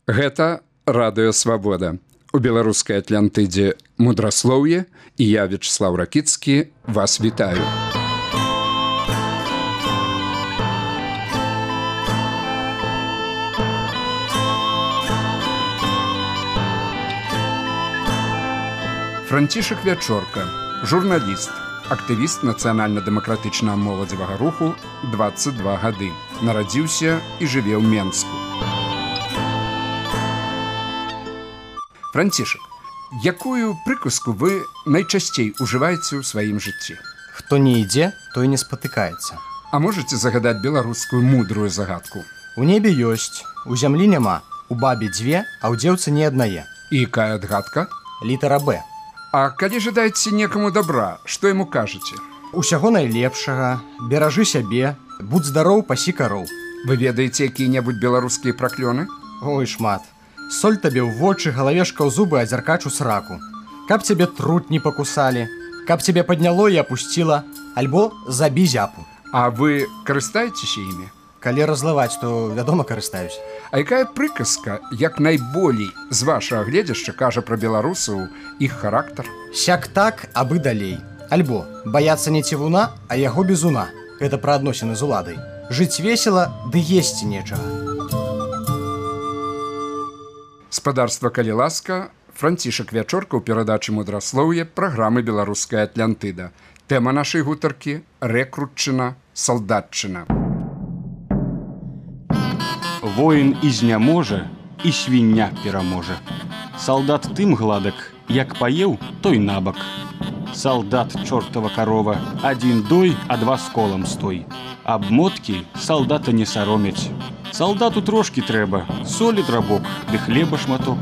Гэта радыё Свабода. У беларускай Атлантыдзе мудраслоўе, і я, Вячеслав Ракіцкі, вас вітаю. Францішак Вячорка, журналіст, актывіст нацыянальна-дэмакратычнага моладзевага руху, 22 гады. Нарадзіўся і жыве ў Менску. Францішак, якую прыказку вы найчасцей ужываеце ў сваім жыцці? Хто не ідзе, той не спатыкаецца. А можаце загадаць беларускую мудрую загадку? У небе ёсць, у зямлі няма, у бабе дзве, а ў дзеўцы не аднае. І якая адгадка? Літара Б. А калі жадаеце некаму добра, што яму кажаце? Усяго найлепшага, беражы сябе, будь здароў, пасі кароў. Вы ведаеце якія-небудзь беларускія праклёны? Ой, шмат. Соль табе ў вочы, галавешка ў зубы, а дзяркач у сраку. Каб цябе трут не пакусалі, каб цябе падняло і апусціла, альбо забі зяпу. А вы карыстаецеся імі? Калі разлываць, то, вядома, карыстаюсь. А якая прыказка, як найболей з вашага гледзяшча кажа пра беларусаў іх характар? Сяк так, абы далей. Альбо баяцца не цівуна, а яго бізуна. Гэта пра адносіны з уладай. Жыць весела, ды есці нечага. Спадарства, калі ласка, Францішак Вячорка ў перадачы мудраслоўе праграмы «Беларуская Атлантыда». Тэма нашай гутаркі – рэкрутчына, салдатчына. Воін і зняможа, і свіння пераможа. Салдат тым гладак, як паеў, той набак. Салдат, чортава карова, адзін дой, а два з колам стой. Абмоткі салдата не саромяць. Салдату трошкі трэба, солі драбок, ды хлеба шматок.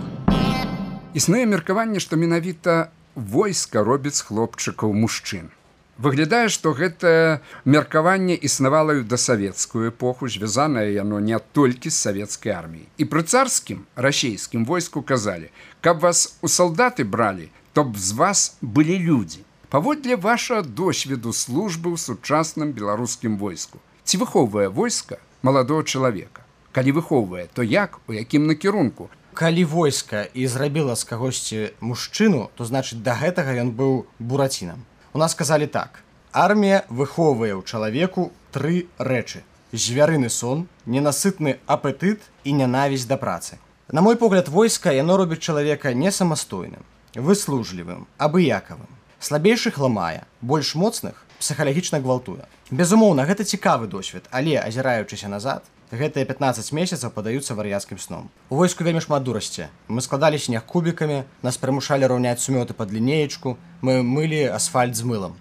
Існуе меркаванне, што менавіта войска робіць з хлопчыкаў мужчын. Выглядае, што гэтае меркаванне існавала і ў дасавецкую эпоху, звязанае яно не толькі з савецкай арміяй. І пры царскім, расейскім войску казалі, каб вас у салдаты бралі, то б з вас былі людзі. Паводле вашага досведу службы ў сучасным беларускім войску. Ці выхоўвае войска маладого чалавека? Калі выхоўвае, то як, у якім накірунку? Калі войска і зрабіла з кагосьці мужчыну, то значыць да гэтага ён быў буратінам. У нас казалі так: армія выхоўвае ў чалавеку 3 рэчы: звярыны сон, ненасытны апетыт і нянавісць да працы. На мой погляд, войска яно робіць чалавека не самастойным, выслужлівым, абыякавым. Слабейшых ламае, больш моцных псіхалагічна гвалтуе. Безумоўна, гэта цікавы досвед, але, азіраючыся назад, гэтыя 15 месяцаў падаюцца вар'яцкім сном. У войску вельмі шмат дурасці. Мы складалі снег кубікамі, нас прымушалі раўняць сумёты пад лінеечку, мы мылі асфальт з мылам.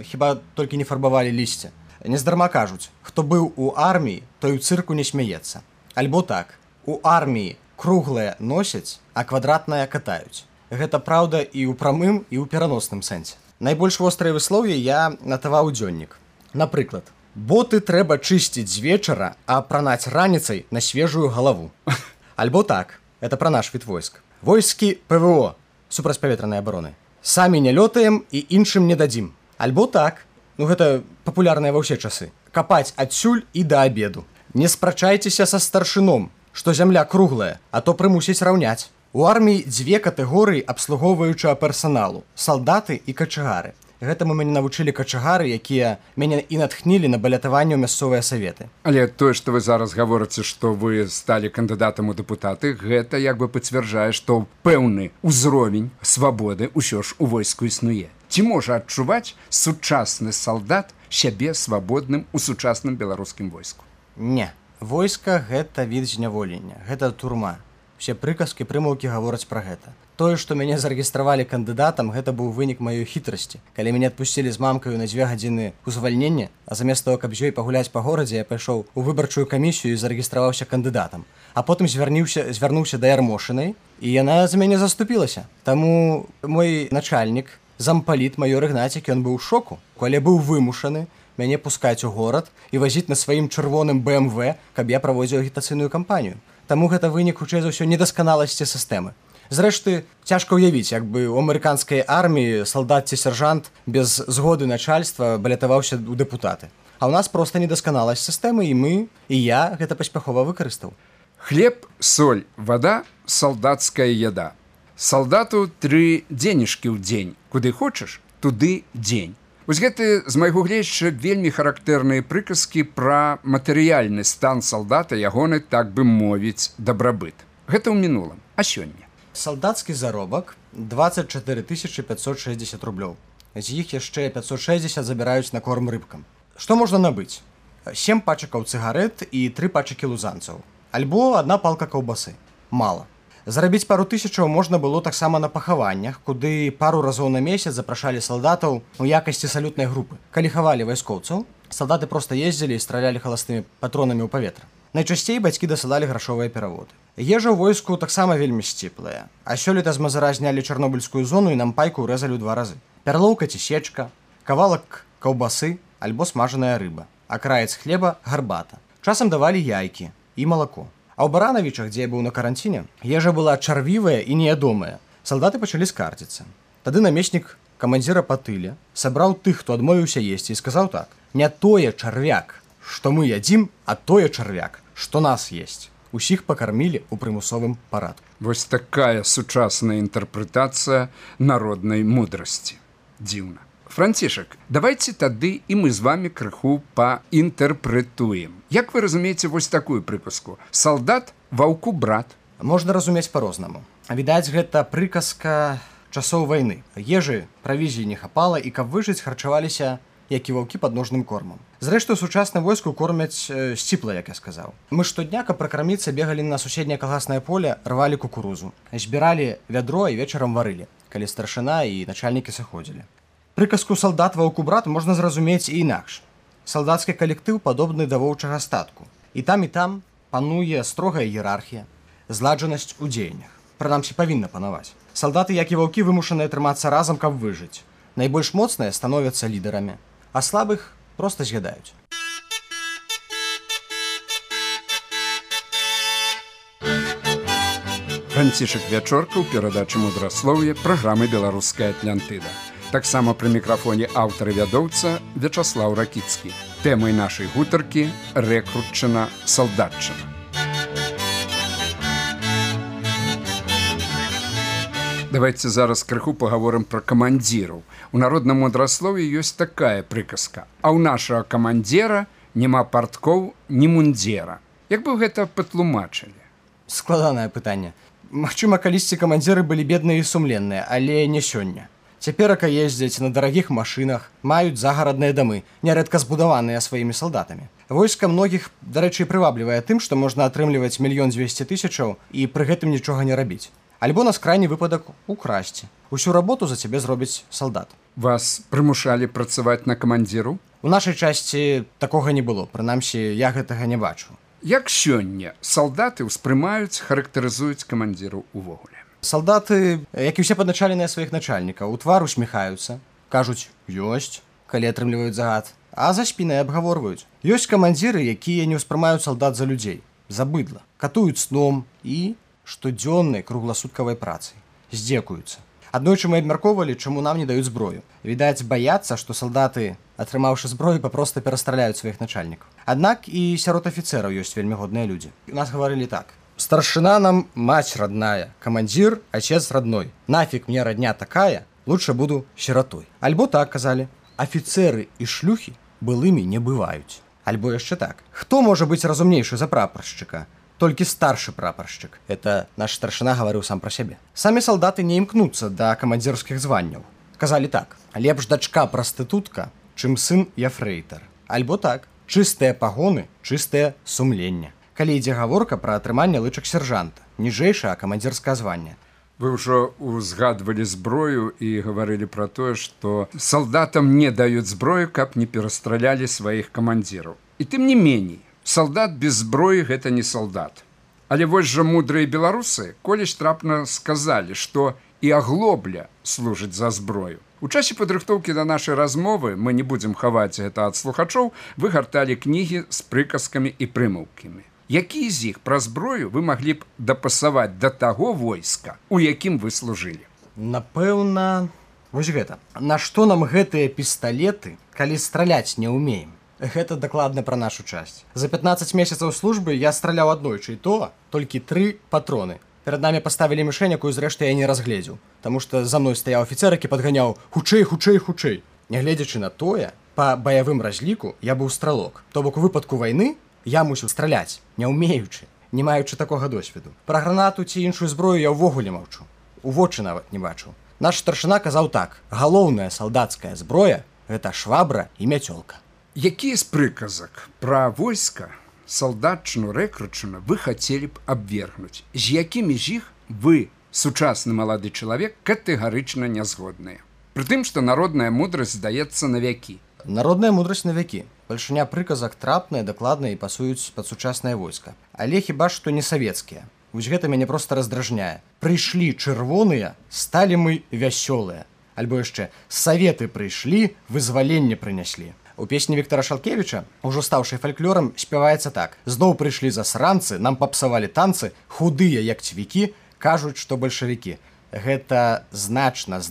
Хіба толькі не фарбавалі лісце. Нездарма кажуць, хто быў у арміі, той у цырку не смяецца. Альбо так, у арміі круглае носяць, а квадратнае катаюць. Гэта праўда і ў прамым, і ў пераносным сэнсе. Найбольш вострыя выслоўі я натаваў дзённік. Напрыклад, боты трэба чысціць з вечара, а апранаць раніцай на свежую галаву. Альбо так, это пра наш від войск. Войскі ПВО, супрацьпаветранай абароны. Самі не лётаем і іншым не дадзім. Альбо так, гэта папулярнае ва ўсе часы. Капаць адсюль і да абеду. Не спрачайцеся са старшыном, што зямля круглая, а то прымусіць раўняць. У арміі 2 катэгорыі абслугоўваючага персаналу – салдаты і качагары. Гэтаму мяне навучылі качагары, якія мяне і натхнілі на балятаванне ў мясцовыя саветы. Але тое, што вы зараз гаворыце, што вы сталі кандыдатам у дэпутаты, гэта як бы пацвярджае, што пэўны ўзровень свабоды ўсё ж у войску існуе. Ці можа адчуваць сучасны салдат сябе свабодным у сучасным беларускім войску? Не. Войска – гэта від зняволення, гэта турма. Усе прыказкі, прымаўкі гавораць пра гэта. Тое, што мяне зарэгістравалі кандыдатам, гэта быў вынік маёй хітрасці. Калі мяне адпусцілі з мамкаю на 2 гадзіны ў звальненне, а замест того, каб з ёй пагуляць па горадзе, я пайшоў у выбарчую камісію і зарэгістраваўся кандыдатам. А потым звярнуўся да Ярмошынай, і яна за мяне заступілася. Таму мой начальнік, зампаліт майор Ігнацік, ён быў у шоку, калі быў вымушаны мяне пускаць у горад і вазіць на сваім чырвоным БМВ, каб я праводзіў агітацыйную кампанію. Таму гэта вынік, хутчэй за ўсё, недасканаласці сістэмы. Зрэшты, цяжка ўявіць, як бы ў амерыканскай арміі салдат ці сяржант без згоды начальства балятаваўся ў дэпутаты. А ў нас проста недасканаласць сістэмы, і мы, і я гэта паспяхова выкарыстаў. Хлеб, соль, вода, солдатская яда. Салдату 3 денежкі ў дзень. Куды хочаш, туды дзень. Вось гэты, з майго гледзяча, вельмі характэрныя прыказкі пра матэрыяльны стан салдата, ягоны, так бы мовіць, дабрабыт. Гэта ў мінулым. А сёння? Салдацкі заробак 24 560 рублёў. З іх яшчэ 560 забіраюць на корм рыбкам. Што можна набыць? 7 пачакаў цыгарэт і 3 пачакі лузанцаў. Альбо 1 палка каўбасы. Мала. Зарабіць пару тысячаў можна было таксама на пахаваннях, куды пару разоў на месяц запрашалі салдатаў у якасці салютнай групы. Калі хавалі вайскоўцаў, салдаты проста ездзілі і стралялі халастымі патронамі ў паветра. Найчасцей бацькі дасылалі грашовыя пераводы. Ежа ў войску таксама вельмі сціплая. А сёлета з мазыра знялі чарнобыльскую зону і нам пайку ўрэзалі ў 2 разы. Пярлоўка ці сечка, кавалак каўбасы альбо смажаная рыба, акраец хлеба, гарбата. Часам давалі яйкі і малако. А ў Баранавічах, дзе я быў на каранціне, ежа была чарвівая і неядомая. Салдаты пачалі скардзіцца. Тады намеснік камандзіра па тыле сабраў тых, хто адмовіўся есці, і сказаў так: «Не тое чарвяк, што мы ядзім, а тое чарвяк, што нас есть». Усіх пакармілі ў прымусовым парадку. Вось такая сучасная інтэрпрэтацыя народнай мудрасці. Дзіўна. Францішак, давайте тады і мы з вами крыху паінтэрпрэтуем. Як вы разумееце вось такую прыказку? Салдат ваўку брат. Можна разумець па-рознаму. Відаць, гэта прыказка часоў вайны. Ежы, правізіі не хапала, і каб выжыць, харчаваліся, як і ваўкі падножным кормам. Зрэшты, у сучасным войску кормяць сціпла, як я сказаў. Мы штодня, каб пракарміцца, бегалі на суседняе калгаснае поле, рвалі кукурузу, збіралі вядро і вечарам варылі, калі старшына і начальнікі сыходзілі. Прыказку «салдат ваўку брат» можна зразумець і інакш. Салдацкі калектыў падобны да воўчага статку. І там пануе строгая іерархія, зладжанасць у дзеяннях. Прынамсі, павінна панаваць. Салдаты, як і ваўкі, вымушаныя трымацца разам, каб выжыць. Найбольш моцныя становяцца лідарамі, а слабых проста з'ядаюць. Францішак Вячорка ў перадачы мудраслоўя праграмы «Беларуская Атлантыда». Таксама пры мікрафоне аўтар і вядоўца Вячаслаў Ракіцкі. Тэмай нашай гутаркі рэкрутчына салдатчына. Давайте зараз крыху пагаворым пра камандзіраў. У народным мудраслоўі ёсць такая прыказка: а ў нашага камандзіра няма парткоў, ні мундзера. Як бы гэта патлумачылі? Складанае пытанне. Магчыма, калісьці камандзіры былі бедныя і сумленныя, але не сёння. Цяперака ездзяць на дарагіх машынах, маюць загарадныя дамы, нярэдка збудаваныя сваімі салдатамі. Войска многіх, дарэчы, прываблівае тым, што можна атрымліваць 1 200 000 і пры гэтым нічога не рабіць. Альбо на скрайні выпадак украсці. Усю работу за цябе зробіць салдат. Вас прымушалі працаваць на камандзіру? У нашай часці такога не было, прынамсі, я гэтага не бачу. Як сёння салдаты ўспрымаюць, характарызуюць камандзіру ўвогуле? Салдаты, як і ўсе падначаленыя сваіх начальнікаў, у твар усміхаюцца, кажуць «ёсць», калі атрымліваюць загад, а за спінай абгаворваюць. Ёсць камандзіры, якія не ўспрымаюць салдат за людзей, за быдла, катуюць сном і штодзённай кругласуткавай працай, здзекуюцца. Аднойчы мы абмяркоўвалі, чаму нам не даюць зброю. Відаць, баяцца, што салдаты, атрымаўшы зброю, папроста перастраляюць сваіх начальнікаў. Аднак і сярод афіцэраў ёсць вельмі годныя людзі. У нас гаварылі так: «Старшина нам мать родная, командир отец родной. Нафиг мне родня такая, лучше буду сиротой». Альбо так казалі: «Офицеры и шлюхи былыми не бываюць». Альбо яшчэ так: «Хто можа быць разумнейшы за прапаршчыка? Толькі старшы прапаршчык». Это наш старшина гаварыў сам пра сябе. Самі салдаты не імкнуцца да камандзірскіх званняў. Казалі так: «Лепш дачка прастытутка, чым сын яфрэйтар». Альбо так: «Чыстыя пагоны, чыстае сумленне». Калі ідзе гаворка пра атрыманне лычак сяржанта, ніжэйшае камандзірскае званне. Вы ўжо узгадвалі зброю і гаварылі пра тое, што салдатам не даюць зброю, каб не перастралялі сваіх камандзіраў. І тым не меней, салдат без зброі гэта не салдат. Але вось жа мудрыя беларусы колісь трапна сказалі, што і аглобля служыць за зброю. У часе падрыхтоўкі да нашай размовы, мы не будзем хаваць гэта ад слухачоў, вы гарталі кнігі з прыказкамі і прымаўкамі. Якія з іх пра зброю вы маглі б дапасаваць да таго войска, у якім вы служылі? Напэўна, вось гэта. Нашто нам гэтыя пісталеты, калі страляць не ўмеем? Гэта дакладна пра нашу часць. За 15 месяцаў службы я страляў аднойчы, і то толькі 3 патроны. Перад намі паставілі мішэнь, якую зрэшты я не разгледзеў, таму што за мной стаяў афіцэр, які падганяў хутчэй, хутчэй, хутчэй. Нягледзячы на тое, па баявым разліку я быў стралок. То бок у выпадку вайны я мусіў страляць, не ўмеючы, не маючы такога досведу. Пра гранату ці іншую зброю я ўвогуле маўчу. У вочы нават не бачыў. Наш старшына казаў так: галоўная салдацкая зброя – гэта швабра і мяцёлка. Які з прыказак пра войска, салдатчыну, рэкрутчыну вы хацелі б абвергнуць? З якімі з іх вы, сучасны малады чалавек, катэгарычна не згодныя? Прытым, што народная мудрасць здаецца на вякі. Народная мудрасць на вякі. Бальшыня прыказак трапныя, дакладныя і пасуюць пад сучаснае войска. Але хіба што не савецкія. Вось гэта мяне проста раздражняе. Прыйшлі чырвоныя, сталі мы вясёлыя. Альбо яшчэ саветы прыйшлі, вызваленне прыняслі. У песні Віктара Шалкевіча, ужо стаўшай фальклорам, спяваецца так: зноў прыйшлі засранцы, нам папсавалі танцы, худыя як цвікі, кажуць, што бальшавікі. Гэта значна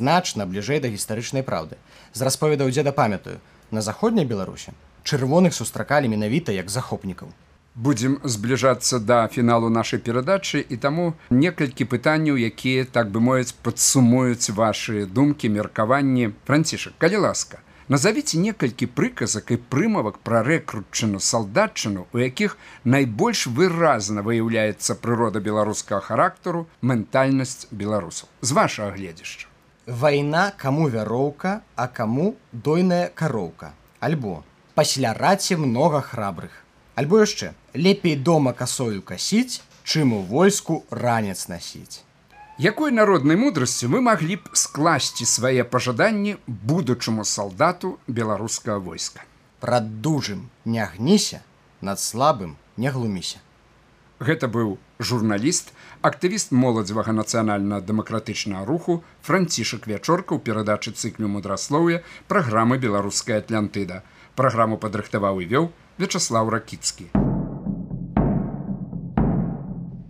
бліжэй да гістарычнай праўды. З расповедаў дзеда памятаю, на заходняй Беларусі чырвоных сустракалі менавіта як захопнікаў. Будзем збліжацца да фіналу нашай перадачы, і таму некалькі пытанняў, якія, так бы мовіць, падсумуюць вашы думкі, меркаванні. Францішак, калі ласка, назавіце некалькі прыказак і прымавак пра рэкрутчыну, салдатчыну, у якіх найбольш выразна выяўляецца прырода беларускага характару, ментальнасць беларусаў. З вашага гледзяшча. Вайна каму вяроўка, а каму дойная кароўка. Альбо пасля раці многа храбрых. Альбо яшчэ лепей дома касою касіць, чым у войску ранец насіць. Якой народнай мудрасцю вы маглі б скласці свае пажаданні будучаму салдату беларускага войска? Прад дужым не гніся, над слабым не глуміся. Гэта быў журналіст, актывіст моладзевага нацыянальна-дэмакратычнага руху Францішак Вячорка ў перадачы цыклю мудраслоўя праграмы «Беларуская Атлантыда». Праграму падрыхтаваў і вёў Вячаслаў Ракіцкі.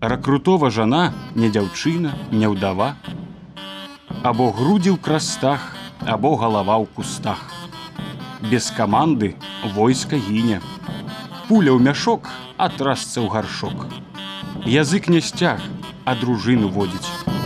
Рэкрутова жана не дзяўчына, не ўдава. Або грудзі ў крастах, або галава ў кустах. Без каманды войска гіне. Пуля ў мяшок, а трасца ў гаршок. Язык не сцяг, а дружыну водзіць.